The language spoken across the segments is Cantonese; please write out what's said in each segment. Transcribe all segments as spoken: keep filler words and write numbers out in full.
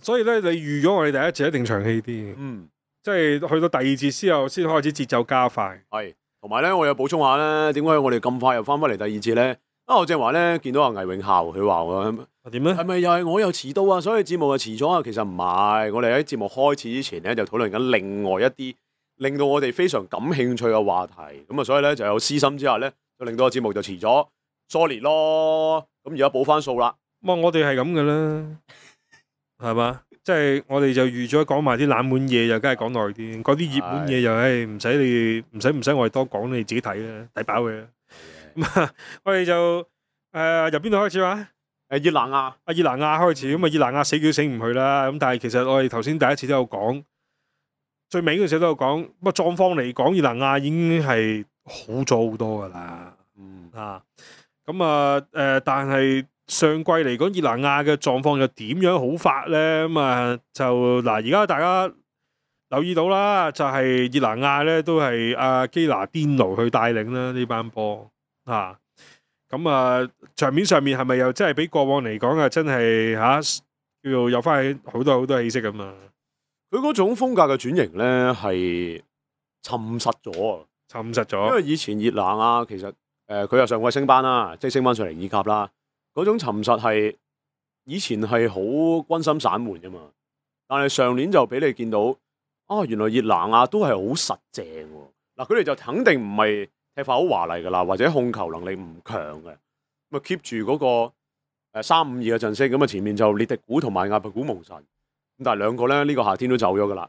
所以咧，你預咗我哋第一節一定長氣啲，嗯，即係去到第二節之後先開始節奏加快。係，同埋咧，我有補充下咧，點解我哋咁快又翻返嚟第二節咧？啊，我正話咧見到阿魏永孝，佢話我點咧？係咪又係我又遲到啊？所以節目又遲咗啊？其實唔係，我哋喺節目開始之前咧就討論緊另外一啲令到我哋非常感興趣嘅話題，咁啊，所以咧就有私心之下咧，就令到個節目就遲咗，sorry 咯。咁而家補翻數啦。哇！我哋係咁嘅啦，係嘛？即係我哋就預咗講埋啲冷門嘢，就梗係講耐啲。嗰啲熱門嘢就誒唔使你唔使唔使我哋多講，你自己睇啦，抵飽嘅。咁啊，我哋就誒由邊度開始話？誒，熱那亞，阿熱那亞開始，咁啊熱那亞死叫死唔去啦。咁但係其實我哋頭先第一次都有講，最尾嗰陣時都有講。不過狀況嚟講，熱那亞已經係好咗好多噶啦。嗯啊，咁啊誒，但係上季嚟講，熱那亞嘅狀況又點樣好法咧？咁啊就嗱，而家大家留意到啦，就係熱那亞咧都係阿基拿甸奴去帶領啦呢班波啊。咁啊，場面上面係咪又真係比過往嚟講啊？真係嚇叫做有翻好多好多氣息咁啊！佢嗰種風格嘅轉型咧係沉實咗啊！沉實咗，因為以前熱那亞其實誒佢又上季升班啦，即係升翻上嚟二甲啦。嗰種沉實係以前係好軍心散緩噶嘛，但係上年就俾你見到啊，原來熱那亞都係好實淨喎。嗱，佢哋就肯定唔係踢法好華麗噶啦，或者控球能力唔強嘅，咁啊 keep 住嗰個誒三五二嘅陣式，咁啊前面就列迪古同埋亞伯古蒙神，咁但係兩個咧呢、呢個夏天都走咗噶啦，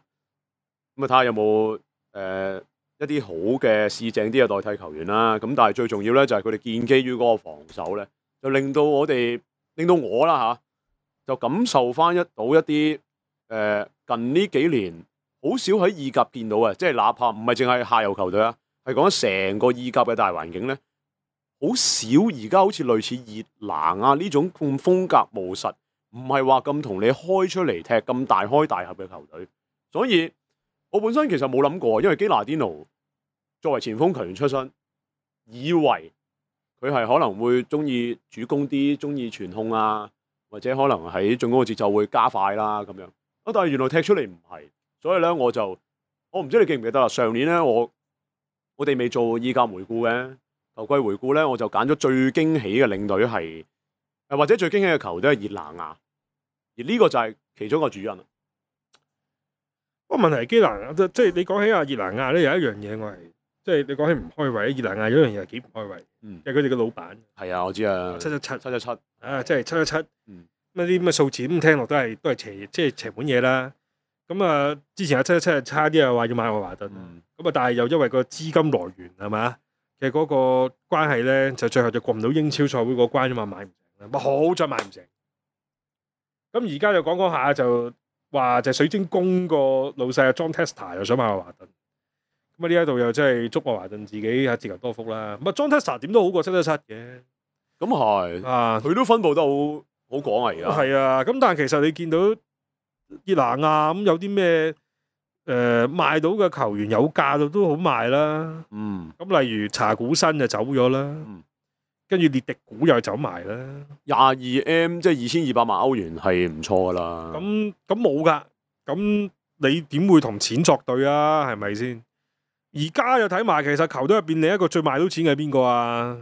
咁啊睇下有冇誒、呃、一啲好嘅試正啲嘅代替球員啦，咁但係最重要咧就係佢哋建基於嗰個防守咧，就令到我哋令到我啦嚇，就感受翻一到一啲誒、呃、近呢幾年好少喺意甲見到嘅，即係哪怕唔係淨係下游球隊啊。係講成個意甲嘅大環境咧，好少而家好似類似熱那亞呢種咁風格務實，唔係話咁同你開出嚟踢咁大開大合嘅球隊。所以我本身其實冇諗過，因為基拿甸奴作為前鋒球員出身，以為佢係可能會中意主攻啲，中意傳控啊，或者可能喺進攻嘅節奏會加快啦咁樣。啊，但係原來踢出嚟唔係，所以咧我就我唔知你記唔記得啦。上年咧我。我哋未做意甲回顧嘅球季回顧咧，我就揀咗最驚喜嘅領隊係，誒或者最驚喜嘅球隊係熱那亞，而呢個就係其中一個主因啦。不過問題係基拿亞，即係你講起阿熱那亞咧，有一樣嘢我係，即係你講起唔開胃，熱那亞有一樣嘢係幾唔開胃，嗯，係佢哋嘅老闆。係啊，我知啊，七七七七七七，啊，即係七七七，嗯，咁啲咁嘅數字咁聽落都係都係邪，即係邪門嘢啦。咁啊，之前阿七七七係差啲啊，話要買愛華頓，咁啊、嗯，但係又因為個資金來源係嘛，其實嗰個關係咧，就最後就過唔到英超賽會嗰關啊嘛，買唔成啦，好再買唔成。咁而家就講講下就話就水晶宮個老細阿 John Testa 又想買愛華頓，咁啊呢一度又真係祝愛華頓自己啊自求多福啦。咁啊 John Testa 點都好過七七七嘅，咁係啊，佢都分佈得好好廣啊而家。係啊，咁但係其實你見到熱那亞咁有啲咩誒賣到嘅球員有價到都好賣啦，嗯，咁例如查古新就走咗啦，嗯，跟住列迪古又走埋啦，廿二 M 即係二千二百萬歐元係唔錯噶啦。咁咁冇噶，咁你點會同錢作對啊？係咪先？而家又睇埋，其實球隊入邊另一個最賣到錢嘅係邊個啊？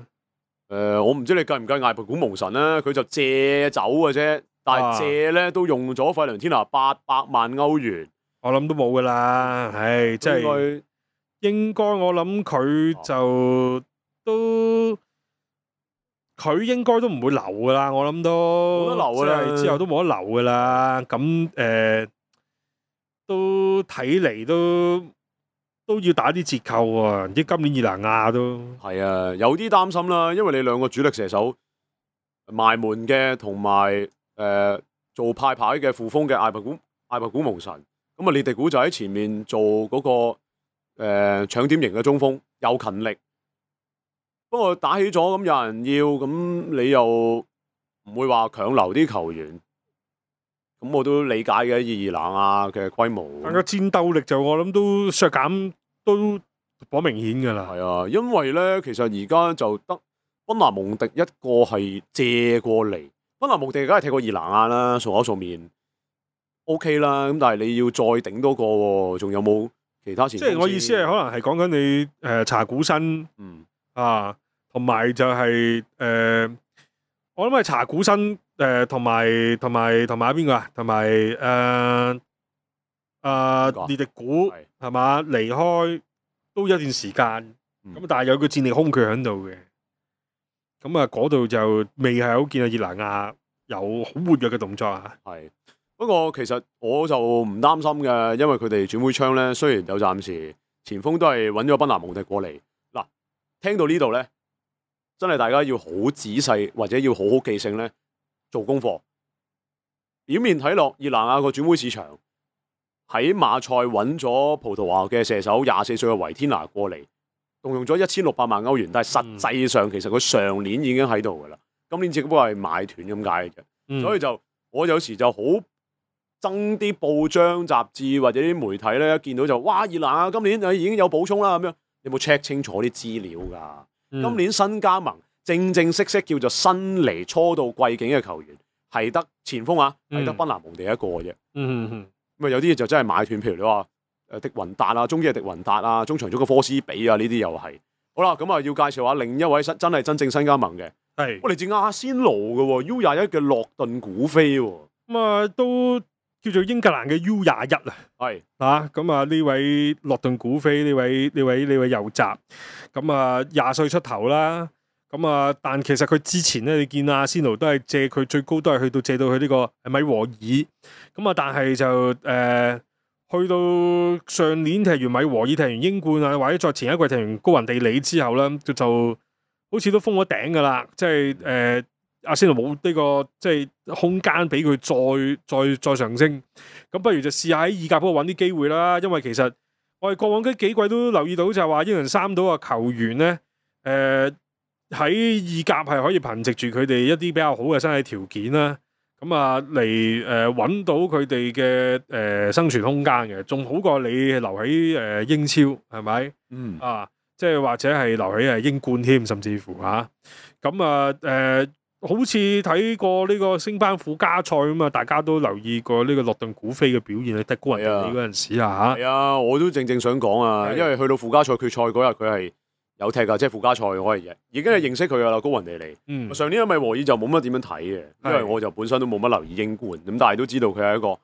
誒、呃，我唔知你計唔計艾伯古蒙神咧，佢就借走嘅啫。但係借咧都用咗費倫天拿八百萬歐元，我諗都冇噶啦，唉，即係應該我諗佢就都佢應該都唔會留噶啦，我諗都冇得留噶啦，之後都冇得留噶啦。咁誒、呃、都睇嚟都都要打啲折扣啊！唔知今年熱那亞都係啊，有啲擔心啦，因為你兩個主力射手埋門嘅同埋。誒、呃，做派牌嘅副鋒嘅艾伯古艾伯古蒙神，咁啊列迪古就喺前面做嗰、那個誒搶、呃、點型嘅中鋒，又勤力。不過打起咗咁有人要，咁你又唔會話強留啲球員，咁我都理解嘅。熱那亞嘅規模，但個戰鬥力就我諗都削減都頗明顯噶啦。係啊，因為咧其實而家就得賓拿蒙迪一個係借過嚟。賓拿蒙迪梗係踢過熱那亞啦，數口數面。OK 啦，咁但係你要再頂多個喎，仲有冇其他前鋒先？即係我意思係可能係講緊你誒、呃、查古新，嗯啊，同埋就係、是、誒、呃，我諗係查古新誒，同埋同埋同埋邊個啊？同埋誒誒列迪古係嘛？離開都一段時間，咁、嗯、但係有個戰力空缺喺度嘅，咁啊嗰度就未係好見阿熱拿亞有好活躍嘅動作啊。係。不過其實我就唔擔心嘅，因為佢哋轉會窗咧，雖然有暫時前鋒都係揾咗賓拿蒙迪過嚟。嗱，聽到呢度咧，真係大家要好仔細或者要好好記性咧，做功課。表面睇落，熱拿亞個轉會市場喺馬賽揾咗葡萄牙嘅射手廿四歲嘅維天拿過嚟，動用咗一千六百萬歐元，但係實際上其實佢上年已經喺度噶啦，今年只不過係買斷咁解嘅啫。嗯、所以就我有時就好憎啲報章雜誌或者啲媒體咧，一見到就哇熱拿亞今年誒已經有補充啦咁樣，你有冇 check 清楚啲資料㗎？嗯、今年新加盟正正式式叫做新嚟初到貴境嘅球員，係得前鋒啊，係得賓拿蒙地一個嘅啫。咁啊、嗯嗯、有啲嘢就真係買斷，譬如你話誒迪雲達啊，中堅嘅迪雲達啊，中場中嘅科斯比啊，呢啲又係。好啦，咁啊要介紹下另一位新真係真正新加盟嘅，係我嚟自阿仙奴嘅喎 U 廿一嘅洛頓古飛喎。咁啊都。叫做英格蘭嘅 U 廿一啊，係啊，咁啊呢位洛頓古飛呢位呢位呢位右閘，咁啊廿歲出頭啦，咁啊但其實佢之前咧，你見阿仙奴都係借佢最高都係去到借到去呢個米和爾，咁啊但係就誒、呃、去到上年踢完米和爾踢完英冠啊，或者再前一季踢完高雲地理之後咧，就就好似都封咗頂噶啦，即係誒。呃阿仙奴冇呢個即係空間俾佢再再再上升，咁不如就試下喺意甲嗰度揾啲機會啦。因為其實我哋過往嗰幾季都留意到就係話英倫三島嘅球員咧，誒、呃、喺意甲係可以憑藉住佢哋一啲比較好嘅身體條件啦，咁啊嚟誒揾到佢哋嘅誒生存空間嘅，仲好過你留喺誒英超係咪？嗯啊，即係或者係留喺誒英冠添，甚至乎嚇咁啊誒。呃好似睇過呢個升班附加賽咁啊，大家都留意過呢個洛頓古飛嘅表現，喺踢高人哋嗰陣時啊嚇。係啊，我都正正想講啊，因為去到附加賽決賽嗰日佢係有踢㗎，即係附加賽我係已經係認識佢㗎啦，高雲地利。嗯、上年因為和爾就冇乜點樣睇嘅，因為我就本身都冇乜留意英冠，咁但係都知道佢係一個誒、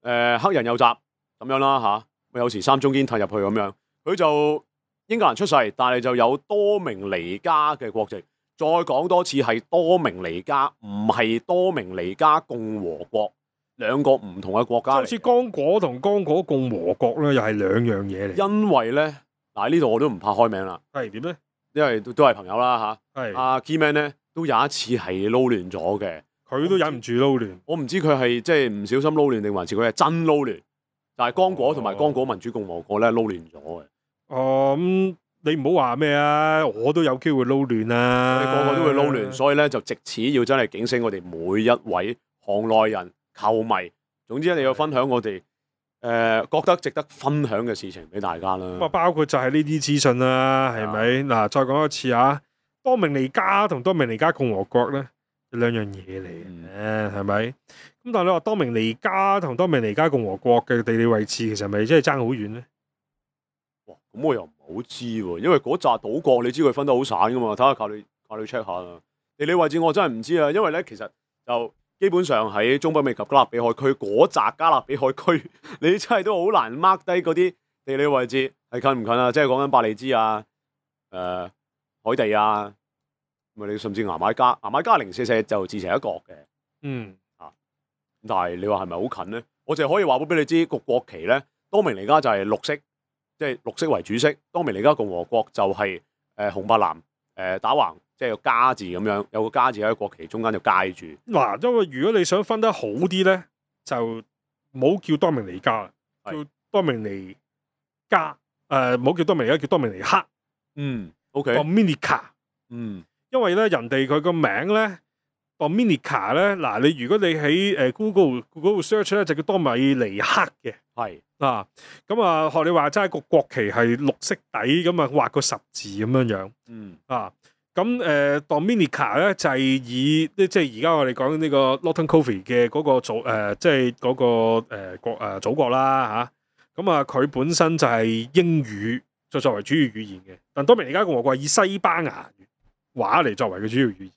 呃、黑人右閘咁樣啦嚇。咪有時三中堅踢入去咁樣，佢就英格蘭出世，但係就有多明尼加嘅國籍。再講多次係多明尼加，唔係多明尼加共和國，兩個唔同嘅國家嚟。好似剛果同剛果共和國咧，又係兩樣嘢嚟。因為咧，嗱呢度我都唔怕開名啦。係點咧？因為都都係朋友啦嚇。係阿 Keyman 咧，都有一次係撈亂咗嘅。佢都忍唔住撈亂。我唔知佢係即係唔小心撈亂定還是佢係真撈亂。但係剛果同埋剛果民主共和國咧撈亂咗嘅。哦咁。嗯你唔好話咩啊！我都有機會撈亂啊！你個個都會撈亂，所以咧就藉此要真係警醒我哋每一位行內人、球迷。總之一定要分享我哋誒、呃、覺得值得分享嘅事情俾大家啦。咁啊，包括就係呢啲資訊啦，係咪？嗱，再講一次啊，多明尼加同多明尼加共和國咧，兩樣嘢嚟嘅，係咪？咁但係你話多明尼加同多明尼加共和國嘅地理位置，其實係咪真係爭好遠咧？哇！咁我又唔好知喎，因為嗰紮島國你知佢分得好散噶嘛，睇下靠你靠你 check 下啦。地理位置我真係唔知啊，因為咧其實就基本上喺中北美及加勒比海區嗰紮加勒比海區，你真係都好難 mark 低嗰啲地理位置係近唔近啊？即係講緊伯利茲啊、誒、呃、海地啊，咪你甚至牙買加，牙買加零舍舍就自成一國嘅。嗯啊，但係你話係咪好近咧？我淨係可以話俾你知個國旗咧，多明尼加就係綠色。即係綠色為主色，多明尼加共和國就係、是、誒、呃、紅白藍誒、呃、打橫，即係個加字咁樣，有個加字喺國旗中間就介住。嗱，因為如果你想分得好啲咧，就唔好叫多明尼加啦，叫多明尼加誒，唔好叫多明尼加，叫多明尼克。嗯 ，OK。Dominica。嗯，因為咧人哋佢個名咧 Dominica 咧，嗱你如果你喺誒 Google Google search 咧就叫多米尼克嘅。係。啊，咁啊，學你話齋個國旗係綠色底，咁啊畫個十字咁樣樣，嗯啊，咁誒 Dominica 咧就係以即係而家我哋講呢個 Norton Coffee 嘅嗰個祖誒，即係嗰個誒國誒祖國啦嚇。咁啊，佢本身就係英語就作為主要語言嘅，但多明尼加共和國係以西班牙話嚟作為嘅主要語言。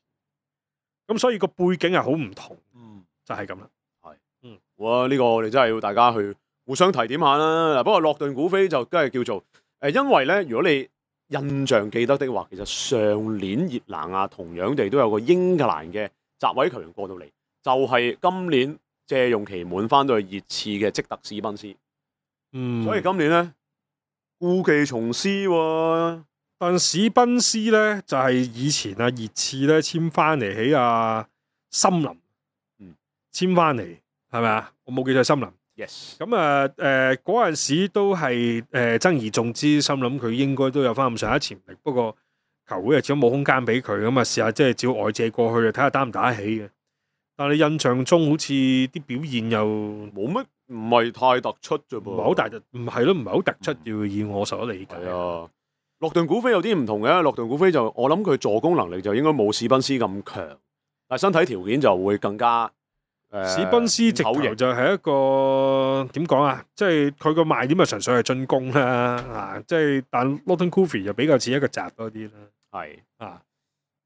咁所以個背景係好唔同，嗯，就係咁啦。係，嗯，哇！呢個我哋真係要大家去互相提點下啦。嗱，不過洛頓古飛就梗係叫做誒，因為咧，如果你印象記得的話，其實上年熱拿亞同樣地都有個英格蘭嘅閘位球員過到嚟，就係、是、今年借用期滿翻到去熱刺嘅積特史賓斯。嗯，所以今年咧故技重施喎。但史賓斯咧就係、是、以前啊熱刺咧簽翻嚟喺啊森林，嗯，簽翻嚟係咪啊？我冇記錯森林。Yes。咁啊誒嗰陣時都係誒、呃、爭而眾之，心諗佢應該都有翻咁上下潛力，不過球會啊始終冇空間俾佢，咁啊試下即係照外借過去啊，睇下打唔打得起嘅。但係你印象中好似啲表現又冇乜，唔係太突出啫噃，唔係好大突，唔係咯，唔係好突出，要、嗯、以我所理解。係啊，洛頓古飛有啲唔同嘅，洛頓古飛就我諗佢助攻能力就應該冇史賓斯咁強，但係身體條件就會更加。呃、史賓斯直頭就係一個點講啊，即係佢個賣點啊，純粹係進攻啦，啊，即係但 Norton Coffee 就比較似一個閘多啲啦，係啊，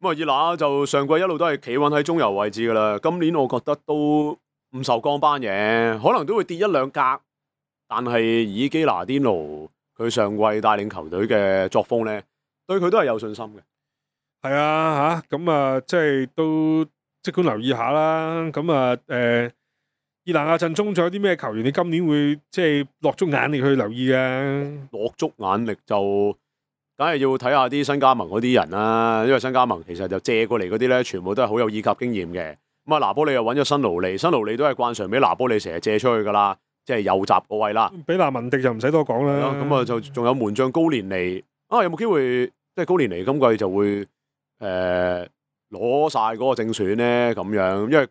咁啊熱拿就上季一路都係企穩喺中游位置噶啦，今年我覺得都唔受降班嘅，可能都會跌一兩格，但係以基拿甸奴佢上季帶領球隊嘅作風咧，對佢都係有信心嘅。係啊，吓咁啊，即係都。即管留意下啦，咁啊誒，熱拿亞陣中仲有啲咩球員？你今年會即係落足眼力去留意嘅？落足眼力就梗係要睇下啲新加盟嗰啲人啦，因為新加盟其實就借過嚟嗰啲咧，全部都係好有意甲經驗嘅。咁啊，拿波利又揾咗新勞利，新勞利都係慣常俾拿波利成日借出去噶啦，即係右閘嗰位啦。比拿文迪就唔使多講啦。咁啊，就仲有門將高連尼啊，有冇機會即係高連尼今季就會誒？呃攞晒嗰個正選咧，咁樣，因為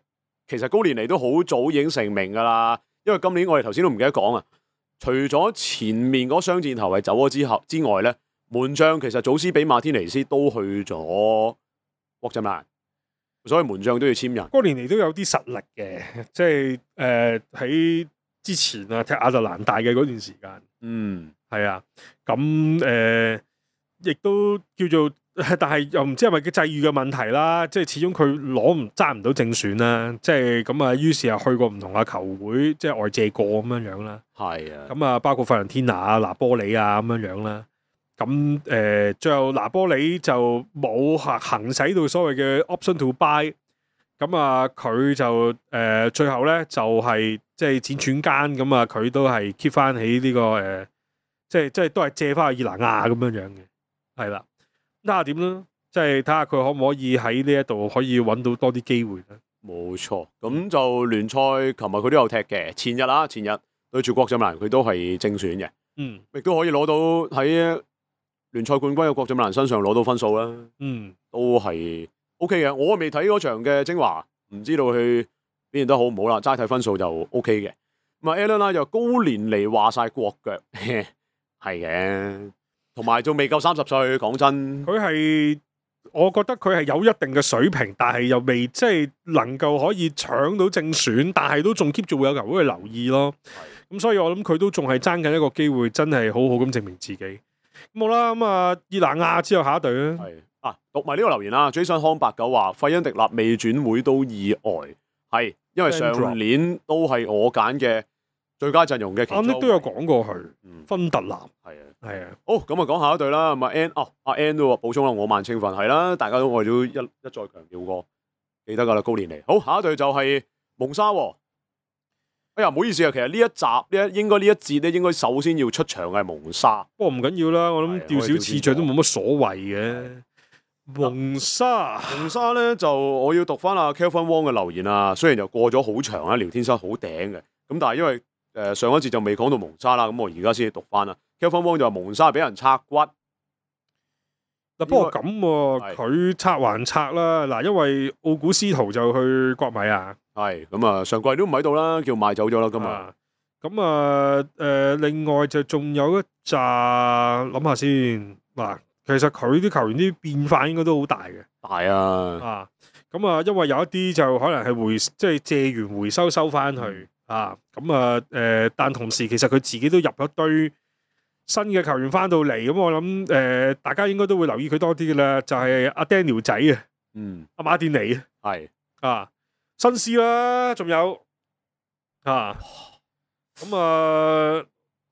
其實高連尼都好早已經成名噶啦。因為今年我哋頭先都唔記得講啊，除咗前面嗰雙箭頭係走咗之後之外咧，門將其實祖斯比馬天尼斯都去咗國際米蘭，所以門將都要簽人。高連尼都有啲實力嘅，即係誒喺之前啊踢亞特蘭大嘅嗰段時間，嗯，係啊，咁誒亦都叫做。但係又唔知係咪佢際遇嘅問題啦，即係始終佢攞唔揸唔到正選啦，即係咁啊，於是又去過唔同嘅球會，即係外借過咁樣樣啦。係啊，咁啊，包括費倫天拿啊、拿波里啊咁樣樣啦。咁誒，最後拿波里就冇行行使到所謂嘅 option to buy，咁啊，佢就誒最後咧就係即係輾轉間咁啊，佢都係 keep 翻起呢個誒，即係即係都係借翻去熱拿亞咁樣樣嘅，係啦。睇下點啦，即係睇下佢可唔可以喺呢一度可以揾到多啲機會咧。冇錯，咁就聯賽，琴日佢都有踢嘅。前日啦，前日對住國際米蘭，佢都係正選嘅。嗯，亦都可以攞到喺聯賽冠軍嘅國際米蘭身上攞到分數啦。嗯，都係 O K 嘅。我未睇嗰場嘅精華，唔知道佢表現得好唔好啦。齋睇分數就 O K 嘅。咁啊 Allen 啦，又高年嚟話晒國腳，係嘅。同埋仲未夠三十歲，講真，佢係我覺得佢係有一定嘅水平，但係又未即係能夠可以搶到正選，但係都仲 keep 住會有球會去留意咯。咁所以我諗佢都仲係爭緊一個機會，真係好好咁證明自己。咁好啦，咁啊，熱拿亞之後下一隊啦。係啊，讀埋呢個留言啦。Jason 康八九話費恩迪納未轉會都意外，係因為上年都係我揀嘅最佳陣容嘅其中。啱都有講過佢，嗯，芬特納係啊。係啊，好咁啊，講下一隊啦。咁啊，N 哦，阿 N 都補充啦，我萬青訓係啦，大家都我哋都一一再強調過，記得噶啦，高年嚟。好，下一隊就係蒙沙。哎呀，唔好意思啊，其實呢一集呢一應該呢一節咧，應該首先要出場嘅係蒙沙。不過唔緊要啦，我諗調少次序都冇乜所謂嘅。蒙沙，蒙沙咧就我要讀翻阿 Kelvin Wong 嘅留言啊，雖然就過咗好長啊，聊天室好頂嘅，咁但係因為誒、呃、上一節就未講到蒙沙啦，咁我而家先讀翻啦。Kelvin Wong 就話蒙沙俾人拆骨。嗱，不過咁喎，佢拆還拆啦。嗱，因為奧古斯圖就去國米啊。係咁啊，上季都唔喺度啦，叫賣走咗啦，今日。咁啊，誒、呃，另外就仲有一紮諗下先。嗱，其實佢啲球員啲變化應該都好大嘅。大啊！啊，咁啊，因為有一啲就可能係回即係借完回收收翻去、嗯、啊，咁啊誒，但同時其實佢自己都入咗堆新嘅球員翻到嚟，咁我諗誒、呃、大家應該都會留意佢多啲嘅啦，就係、是、阿 Daniel 仔啊，嗯，阿馬甸尼係啊，新師啦，仲有啊，咁啊，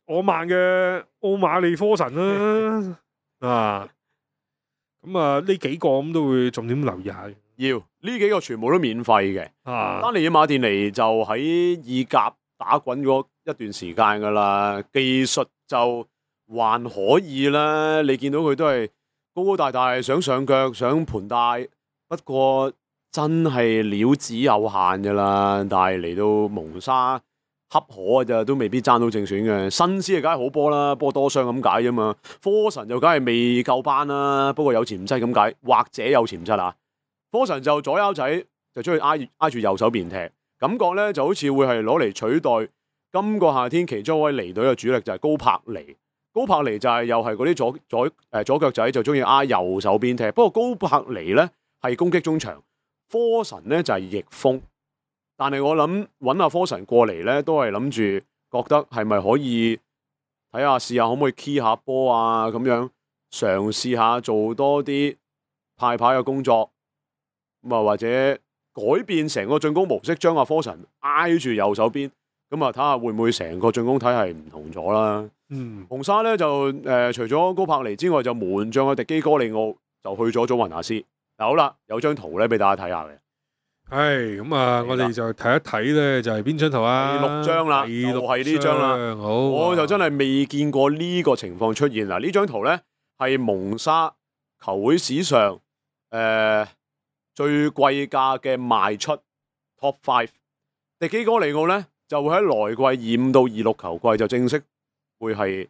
我曼嘅奧馬利科神啦，啊。咁啊，呢幾個咁都會重點留意下。要呢幾個全部都免費嘅。啊，丹尼爾馬甸尼就喺意甲打滾咗一段時間噶啦，技術就還可以啦。你見到佢都係高高大大，想上腳，想盤帶，不過真係料子有限噶啦。但係嚟到蒙沙恰可嘅咋，都未必爭到正選嘅。新師啊，梗係好波啦，波多傷咁解啫嘛。科神就梗係未夠班啦，不過有潛質咁解，或者有潛質啊。科神就左腰仔就中意挨挨住右手邊踢，感覺咧就好似會係攞嚟取代今個夏天其中一位離隊嘅主力就係高柏尼。高柏尼就係又係嗰啲左左誒左腳仔就中意挨右手邊踢，不過高柏尼咧係攻擊中場，科神咧就係翼鋒。但係我諗揾阿科神過嚟咧，都係諗住覺得係咪可以睇下試下可唔可以 key 下波啊，咁樣嘗試下做多啲派牌嘅工作，咁啊或者改變成個進攻模式，將阿科神挨住右手邊，咁啊睇下會唔會成個進攻體系唔同咗啦。嗯，紅沙咧就誒、呃、除咗高柏尼之外，就門將嘅迪基哥利奧就去咗祖雲達斯。嗱好啦，有張圖咧俾大家睇下嘅。係咁啊！我哋就睇一睇咧，就係邊張圖啊？第六張啦，第六就係呢張啦。好，我就真係未見過呢個情況出現嗱。呢張圖咧係蒙沙球會史上誒、呃、最貴價嘅賣出 Top Five。迪基哥利奧咧就會喺來季二五到二六球季就正式會係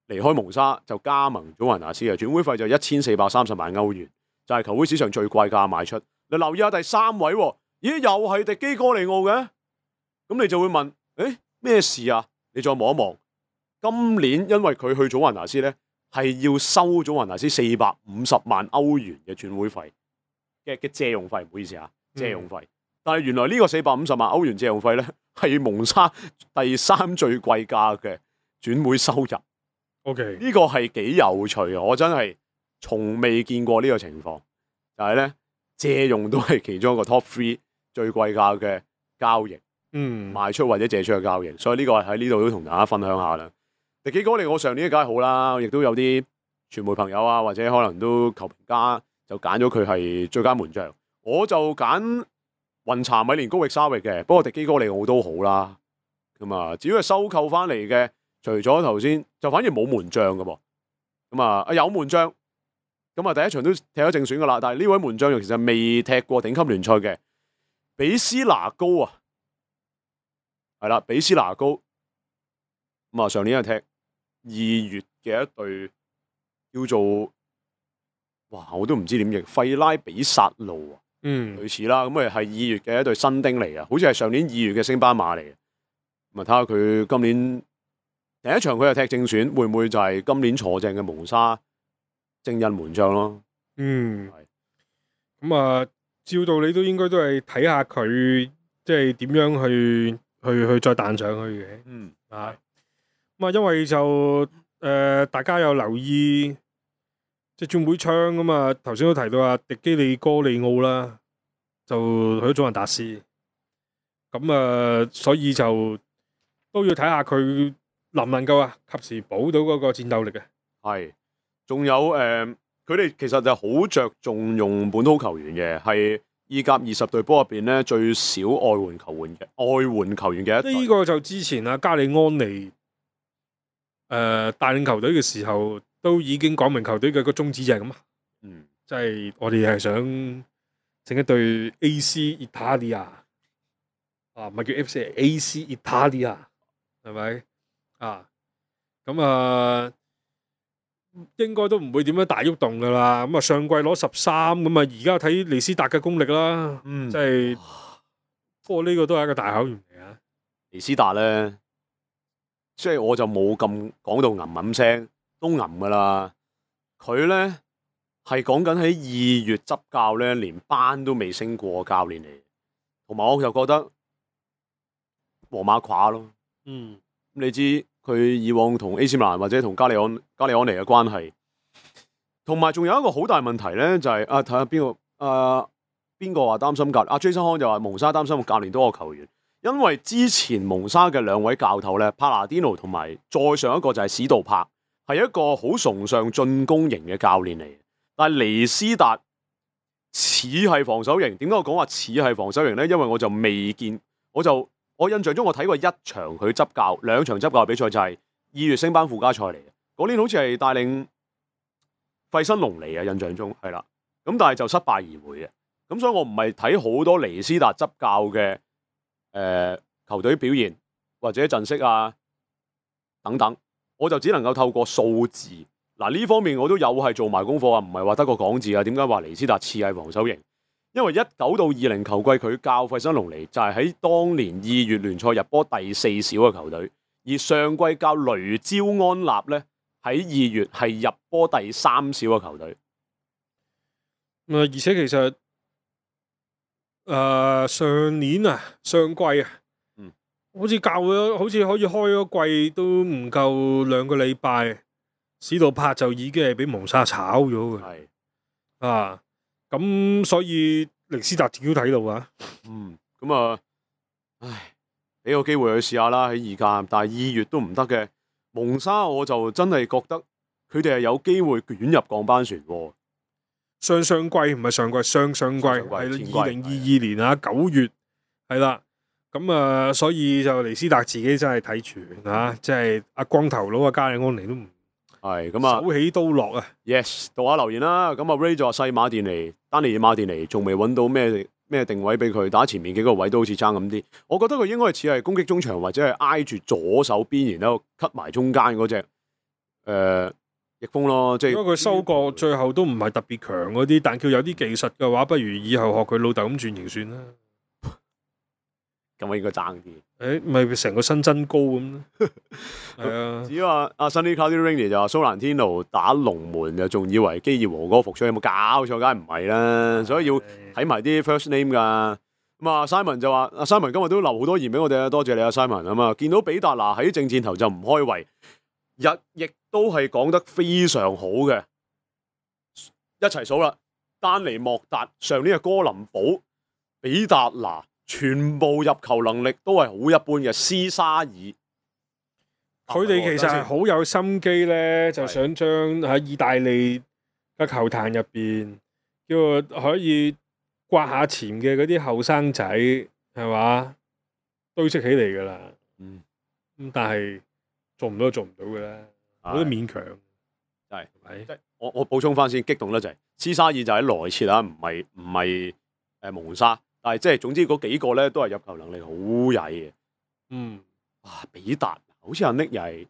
離開蒙沙，就加盟祖雲達斯嘅，轉會費就一千四百三十萬歐元，就係、是、球會史上最貴價賣出。你留意下第三位，咦，又係迪基哥利奧嘅，咁你就會問，誒咩事啊？你再望一望，今年因為佢去祖雲達斯咧，係要收祖雲達斯四百五十萬歐元嘅轉會費嘅嘅借用費，唔好意思啊，借用費。嗯、但係原來呢個四百五十萬歐元借用費咧，係蒙沙第三最貴價嘅轉會收入。OK，呢個係幾有趣啊！我真係從未見過呢個情況，就係咧。借用都係其中一個 top three 最貴價嘅交易，嗯，賣出或者借出嘅交易，所以呢個喺呢度都同大家分享下啦。迪基哥利我上年梗係好啦，亦都有啲傳媒朋友啊，或者可能都球評家就揀咗佢係最佳門將，我就揀雲查米連高域沙域嘅，不過迪基哥利我都好啦。咁啊，至於係收購翻嚟嘅，除咗頭先就反而冇門將㗎噃，咁啊有門將。咁啊，第一場都踢咗正選噶啦，但係呢位門將其實未踢過頂級聯賽嘅，比斯拿高啊，係啦，比斯拿高，咁啊上年係踢二月嘅一隊叫做，哇，我都唔知點譯，費拉比薩路啊，嗯，類似啦，咁啊係二月嘅一隊新丁嚟嘅，好似係上年二月嘅升班馬嚟嘅，咁啊睇下佢今年第一場佢係踢正選，會唔會就係今年坐正嘅蒙沙正印門將咯？嗯，係咁啊，照道理都應該都係睇下佢即係點樣去去去再彈上去嘅。嗯啊，咁啊，因為就誒、呃、大家有留意即係轉會窗咁啊，頭先都提到啊，迪基利哥利奧啦，就去咗祖雲達斯，咁啊，所以就都要睇下佢能唔能夠啊，及時補到嗰個戰鬥力嘅。係。仲有誒，佢、呃、哋其實就好着重用本土球員嘅，係意甲二十隊波入邊咧最少外援球員嘅外援球員嘅一隊。呢個就之前啊加里安尼誒、呃、帶領球隊嘅時候，都已經講明球隊嘅個宗旨就係咁啊。嗯，即係我哋係想整一隊 A C Italia 啊，唔係叫 F C，A C Italia 係咪啊？咁啊。應該都唔會點樣大喐動噶啦，咁啊上季攞十三，咁啊而家睇尼斯達嘅功力啦，嗯，即係，不過呢個都係一個大考驗嚟啊。尼斯達咧，即係我就冇咁講到吟吟聲，都吟噶啦。佢咧係講緊喺二月執教咧，連班都未升過教練嚟，同埋我就覺得皇馬垮咯。嗯，你知佢以往同 A C 米蘭或者同加利安加利安尼嘅關係，同埋仲有一個好大問題咧，就係、是、啊睇下邊個啊邊個話擔心教啊 Jason 康就話蒙沙擔心個教練多過球員，因為之前蒙沙嘅兩位教頭咧，帕拿甸奴同埋再上一個就係史杜柏，係一個好崇尚進攻型嘅教練嚟。但係尼斯達似係防守型，點解我講話似係防守型咧？因為我就未見，我就我印象中我睇過一場佢執教，兩場執教嘅比賽就係二月升班附加賽嚟嘅。嗰年好似係帶領費新龍嚟嘅，印象中係啦。咁但係就失敗而回嘅。咁所以我唔係睇好多尼斯達執教嘅誒、呃、球隊表現或者陣式啊等等，我就只能夠透過數字。嗱，呢方面我都有係做埋功課啊，唔係話得個講字啊。點解話尼斯達似係防守型？因為一九到二零球季佢教費新龍尼就係喺當年二月聯賽入波第四少嘅球隊，而上季教雷焦安納咧喺二月係入波第三少嘅球隊。啊，而且其實誒、呃、上年啊上季啊，嗯，好似教咗，好似可以開咗季都唔夠兩個禮拜。史杜柏就已經係俾蒙沙炒咗嘅，係啊，咁所以尼斯達自己都睇到啊，嗯，咁啊，唉，俾個機會去試下啦喺二甲，但係二月都唔得嘅，蒙沙我就真係覺得佢哋係有機會捲入降班船喎。上上季唔係上季，上上季係二零二二年啊九月係啦，咁啊，所以就尼斯達自己真係睇全啊，即係阿光頭佬啊加里安尼都唔。係咁啊，手起刀落啊 ！Yes，讀下留言啦。咁啊 Ray 就話細馬甸尼、丹尼爾馬甸尼仲未揾到咩咩定位俾佢打，前面幾個位都好似爭咁啲。我覺得佢應該係似係攻擊中場或者係挨住左手邊，然後 cut 埋中間嗰隻誒翼鋒咯。即係如果佢收割最後都唔係特別強嗰啲，但叫有啲技術嘅話，不如以後學佢老豆咁轉型算啦。咁我應該爭啲。誒，咪成個身增高咁。係啊。至於話阿 Sunny Cloudy Rainy 就話蘇蘭天奴打龍門，就仲以為基爾和哥復出，有冇搞錯？梗係唔係啦，所以要睇埋啲 first name 噶。咁啊 Simon 就話阿 Simon 今日都留好多言俾我哋啊，多謝你啊 Simon 啊嘛。見到比達拿喺正箭頭就唔開胃，日亦都係講得非常好嘅。一齊數啦，丹尼莫達、上年嘅哥林堡、比達拿。全部入球能力都係好一般嘅，斯沙爾，佢哋其實係好有心機咧，就想將喺意大利嘅球壇入邊，叫可以刮下潛嘅嗰啲後生仔，係嘛堆積起嚟噶啦。嗯，咁但係做唔到就做唔到嘅啦，冇得勉強。係咪？即係我我補充翻先，激動得滯。斯沙爾就喺萊切啦，唔係唔係誒蒙沙。但係即係總之嗰幾個咧都係入球能力好曳嘅。嗯，哇！比達好似阿 Nick 又係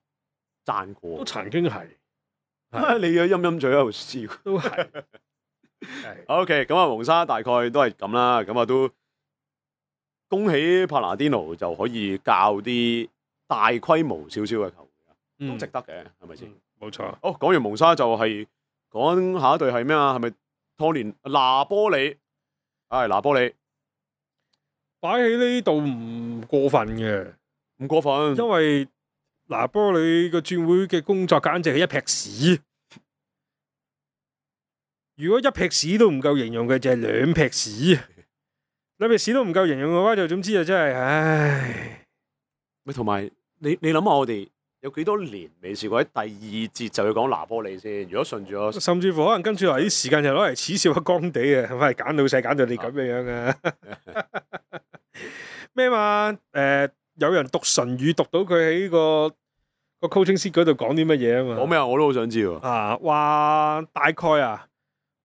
讚過，都曾經係。你嘅陰陰嘴喺度笑，都係。係。OK， 咁啊蒙沙大概都係咁啦，咁啊都恭喜帕拿甸奴就可以教啲大規模少少嘅球員，嗯、都值得嘅，係咪先？冇錯。好，講完蒙沙就係講下一隊係咩啊？係咪拖連拿波里？係拿波里。擺喺呢度唔過分嘅，唔過分，因為拿波里個轉會嘅工作簡直係一劈屎。如果一劈屎都唔夠形容嘅，就係兩劈屎。兩劈屎都唔夠形容嘅話，就總之就真係，唉。咪同埋你你諗下，我哋有幾多年未試過喺第二節就要講拿波里先？如果順住我，甚至乎可能跟住落嚟啲時間就攞嚟恥笑下干地啊，係咪揀老細揀到你咁樣樣啊？咩嘛？誒、呃，有人讀唇語讀到佢喺個個 coaching sheet 嗰度講啲乜嘢啊嘛？講咩啊？我都好想知喎。啊，話大概啊，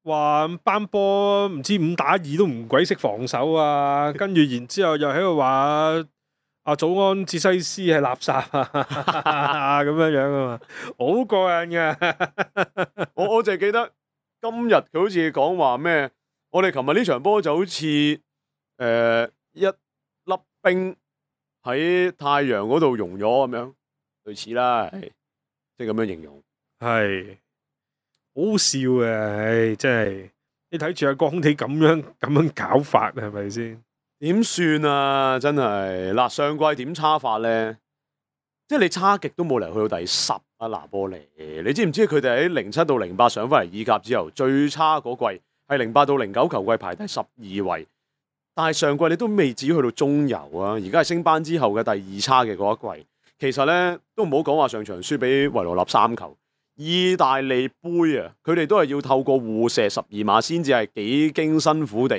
話班波唔知五打二都唔鬼識防守啊，跟住然之後又喺度話阿祖安哲西斯係垃圾啊，咁樣樣啊嘛，好過癮嘅。我我淨係記得今日佢好似講話咩？我哋琴日呢場波就好似誒。呃一粒冰喺太陽嗰度溶咗咁樣，類似啦，即係咁樣形容。係好好笑嘅，唉，真係你睇住阿江地咁樣咁樣搞法，係咪先？點算啊？真係嗱，上季點差法咧？即係你差極都冇嚟去到第十啊！拿波利，你知唔知佢哋喺零七到零八上翻嚟意甲之後，最差嗰季係零八到零九球季排第十二位，但係上季你都未至於去到中游啊！而家係升班之後嘅第二差嘅嗰一季，其實咧都唔好講話上場輸俾維羅納三球，意大利杯啊，佢哋都係要透過互射十二碼先至係幾經辛苦地